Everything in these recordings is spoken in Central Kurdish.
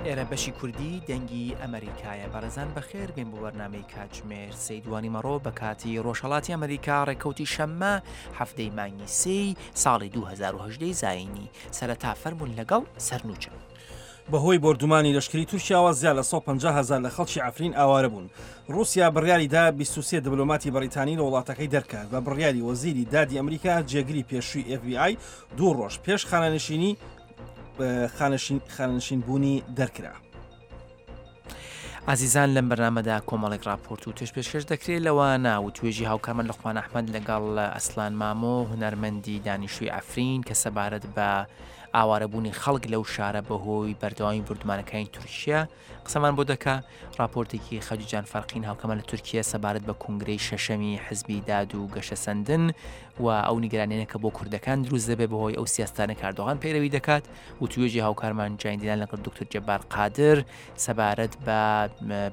ئێرە بەشی کوردی دەنگی ئەمەریکایە بەڕێزان بەخێر بێن بۆ بەرنامەی کاتژمێر سێی دوانیمەڕۆ بە کاتی ڕۆژهەڵاتی ئەمریکا ڕێکەوتی شەممە حەفتەی مانگی سێی ساڵی 2010 زایینی سەرەتا فەرمونون لەگەڵ سەرنوچە. بەهۆی بۆردومانی لەشکری تورکیاوە زیاد لە 150 هەزار لە خەڵکی عەفرین ئاوارە بوون. ڕووسیا بڕیاری دا 23 دبلۆماتی بەڕیتانی لە وڵاتەکەی دەرکات. بە بڕیاری وەزیری دادی ئەمریکا جێگری پێشووی FBI دوو ڕۆژ پێش خانەنشینی خانەنشین بوونی دەرکرا. ئازیزان لەم بەرنامەدا کۆمەڵێک راپۆرت و توێژ پێشکەش دەکرێت لەوانە و توێژی هاوکارمان لوقمان ئەحمەد لەگەڵ ئەسلان مامۆ هونەرمەندی دانیشتووی عەفرین کە سەبارەت بە ئاوارەبوونی خەڵک لەو شارە بەهۆی بەردەوامی بردمانەکانی تورکیا قسەمان بۆ دەکا راپۆرتێکی خەجیجان فەرقین هاوکەمان لە تورکیا سەبارەت بە کۆنگرەی شەشەمی حزبی داد و گەشەسەندن و ئەو نیگەرانیانە کە بۆ کوردەکان دروست دەبێت بەهۆی ئەو سیاستانە کە ئەردۆغان پەیرەوی دەکات و توێژی هاوکارمان جایندیلان لەگەڵ دکتۆر جەبار قادر سەبارەت بە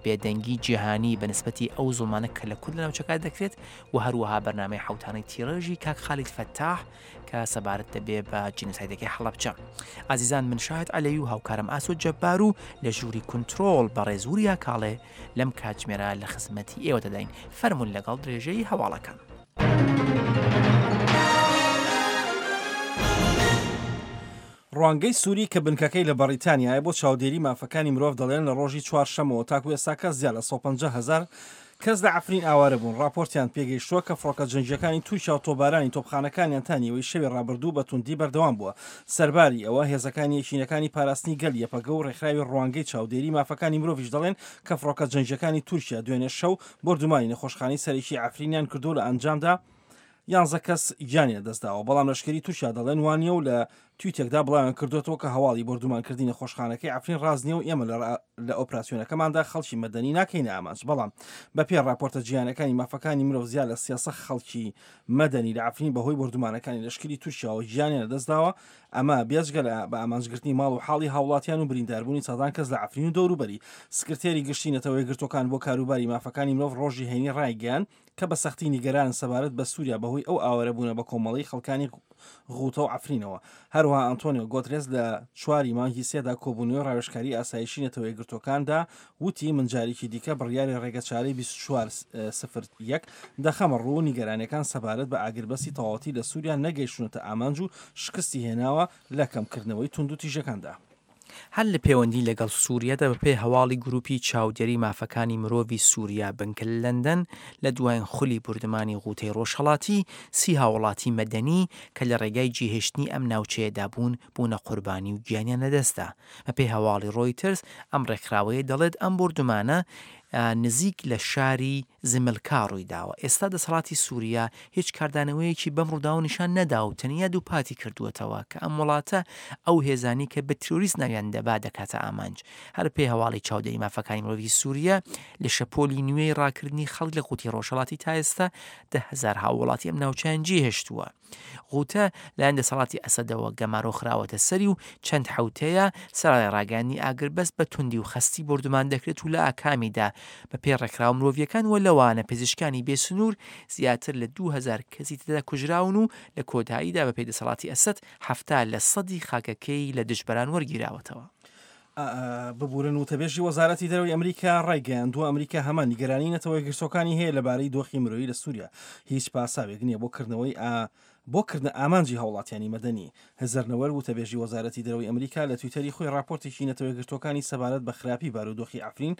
بێدەنگی جیهانی بە نسبەتی ئەو زوڵمانە کە لە کورد لە ناوچەکە دەکرێت و هەروەها بەرنامەی حوتانەی تیڕێژی کاک خالید فەتاح کە سەبارەت دەبێ بە جینۆسایدەکەی حەڵەبجە. ئازیزان من شاهد عەلەوی و هاوکارم ئاسۆ جەبار و لە ژووری کونترۆڵ بەڕێز وریا کاڵێ لەم کاتژمێرە لە خزمەتی ئێوە دەداین. فەرموون لەگەڵ درێژەی هەواڵەکان. ڕوانگەی سوری کە بنکەکەی لە بەڕیتانیایە بۆ چاودێری مافەکانی مرۆڤ دەڵێن لە ڕۆژی چوارشەمەوە تاکو ئێستاکە زیاد لە 150 هەزار کەس لە عەفرین ئاوارە بوون، ڕاپۆرتیان پێگەیشتووە کە فڕۆکە جەنگییەکانی تورکیا و تۆپبارانی تۆپخانەکانیان تا نیوەی شەوی ڕابردوو بە توندی بەردەوام بووە. سەرباری ئەوە، هێزەکانی یەکینەکانی پاراستنی گەل، یەپەگە، و ڕێکخراوی ڕوانگەی چاودێری مافەکانی مرۆڤیش دەڵێن کە فڕۆکە جەنگییەکانی تورکیا دوێنێ شەو بۆردومانی نەخۆشخانەی سەرەکی عەفرینیان کردووە و لە ئەنجامدا یانزە کەس گیانی لەدەستداوە، بەڵام لەشکری تورکیا دەڵێن وانییە و لە تویتێکدا بڵاویان کردووەتەوە کە هەواڵی بۆردومانکردنی نەخۆشخانەکەی عەفرین ڕاست نییە و ئێمە لە ئۆپراسیۆنەکەماندا خەڵکی مەدەنی ناکەینە ئامانج، بەڵام بەپێی ڕاپۆرتە جیهانیەکانی مافەکانی مرۆڤ زیاد لە 300 خەڵکی مەدەنی لە عەفرین بەهۆی بۆردومانەکانی لەشکری تورکیاوە گیانیان لەدەستداوە، ئەمە بێجگە لە بە ئامانجگرتنی ماڵ و حاڵی هاوڵاتیان و برینداربوونی سەدان کەس لە عەفرین و دەوروبەری. سکرتێری گشتی نەتەوە یەکگرتووەکان بۆ کاروباری مافەکانی مرۆڤ ڕۆژی هەینی ڕایگەیاند، کە بە سەختی نیگەرانن سەبارەت بە سووریا بەهۆی ئەو ئاوارەبوونە بەکۆمەڵەی خەڵکانی غوتە و عەفرینەوە. هەروەها ئەنتۆنیۆ گۆترێس لە چواری مانگی سێدا کۆبوونەوەی ڕاوێژکاری ئاسایشی نەتەوە یەکگرتووەکاندا وتی من جارێکی دیکە بڕیاری ڕێگەچارەی 24 سفر یەک دەخەمە ڕوو و نیگەرانیەکان سەبارەت بە ئاگربەستی تەواوەتی لە سووریا نەگەیشتوونەتە ئامانج و شکستی هێناوە لە کەمکردنەوەی توندوتیژەکاندا. هەر لە پێوەندی لەگەڵ سووریەدا بەپێی هەواڵی گرووپی چاودێری مافەکانی مرۆڤی سووریا بنکە لە لەندەن لە دوایین خولی بوردمانی غوتەی ڕۆژهەڵاتی سی هاووڵاتی مەدەنی کە لە ڕێگای جێهێشتنی ئەم ناوچەیەدا بوون بوونە قوربانی و گیانیان لەدەستدا. بەپێی هەواڵی ڕۆیتەرز ئەم ڕێکخراوەیە دەڵێت ئەم بوردومانە نزیک لە شاری زملکا ڕوویداوە. ئێستا دەسەڵاتی سووریا هیچ کاردانەوەیەکی بەم ڕووداوە نیشان نەدا و تەنیا دووپاتی کردووەتەوە کە ئەم وڵاتە ئەو هێزانەی کە بە تیرۆریست ناویان دەبا دەکاتە ئامانج. هەر بەپێی هەواڵی چاودێری مافەکانی مرۆڤی سووریا لە شەپۆلی نوێی ڕاکردنی خەڵک لە غوتەی ڕۆژهەڵاتی تا ئێستا 10,000 هاووڵاتی ئەم ناوچەیان جێهێشتووە. غوتە لایەن دەسەڵاتی ئەسەدەوە گەمارۆ خراوەتە سەری و چەند حەوتەیە سەرەڕای ڕاگەیاندنی ئاگربەست بە توندی و خەستی بۆردومان دەکرێت و لە ئاکامیدا بە پێی ڕێکخراوە مرۆڤییەکان و لەوانە پزیشکانی بێ سنوور زیاتر لە 2000 کەسی تێدا کوژراون و لە کۆتاییدا بە پێی دەسەڵاتی ئەسەد 70 لە سەدی خاکەکەی لە دژبەران وەرگیراوەتەوە. ببورن وتەبێژی وەزارەتی دەرەوەی ئەمریکا ڕایگەیاندووە ئەمریکا هەمان نیگەرانی نەتەوە یەکگرتووەکانی هەیە لەبارەی دۆخی مرۆیی لە سووریا هیچ پاساوێک نییە بۆ کردنەوەی ئا بۆ کردنە ئامانجی هاوڵاتیانی مەدەنی. هزەر نەوەر وتەبێژی وەزارەتی دەرەوەی ئەمریکا لە تویتەری خۆی ڕاپۆرتێکی نەتەوە یەکگرتووەکانی سەبارەت بە خراپی بارودۆخی عەفرین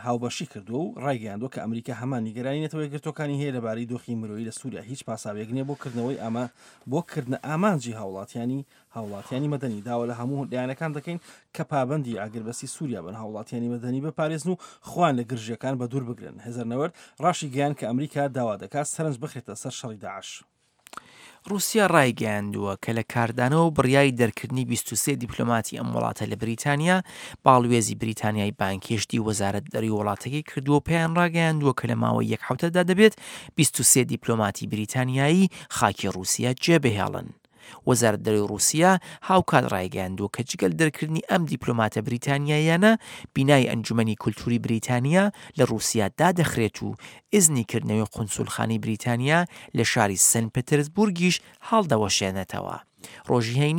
هاوبەشی کردووە و ڕایگەیاندووە کە ئەمریکا هەمان نیگەرانی نەتەوە یەکگرتووەکانی هەیە لەبارەی دۆخی مرۆیی لە سووریا هیچ پاساوێک نییە بۆ کردنەوەی ئاما بۆ کردنە ئامانجی هاوڵاتیانی هاوڵاتیانی مەدەنی، داوا لە هەموو لایەنەکان دەکەین کە پابەندی ئاگربەستی سووریا بن، هاوڵاتیانی مەدەنی بپارێزن و خۆیان لە گرژییەکان بەدوور بگرن. هێزەر نەوەرد ڕاشیگەیاند کە ئەمریکا داوا دەکات سەرنج بخرێتە سەر شەڕی داعش. ڕووسیا ڕایگەیاندووە کە لە کاردانەوە بڕیاری دەرکردنی 23 دیپلۆماتی ئەم وڵاتە لە بریتانیا، باڵوێزی بریتانیای بانگهێشتی وەزارەت دەرەوەی وڵاتەکەی کردووە و پێیان ڕاگەیاندووە کە لە ماوەی یەک حەوتەدا دەبێت 23 دیپلۆماتی بریتانیایی خاکی ڕووسیا جێبهێڵن. وەزارەت دەرەوەی ڕووسیا هاوکات ڕایگەیاندووە کە جگە لە دەرکردنی ئەم دیپلۆماتە بریتانیاییانە، بینای ئەنجومەنی کولتووری بریتانیا لە ڕووسیا دادەخرێت و ئیزنی کردنەوەی قونسولخانەی بریتانیا لە شاری سن پترسبورگیش هەڵدەوەشێنێتەوە. ڕۆژی هەینی.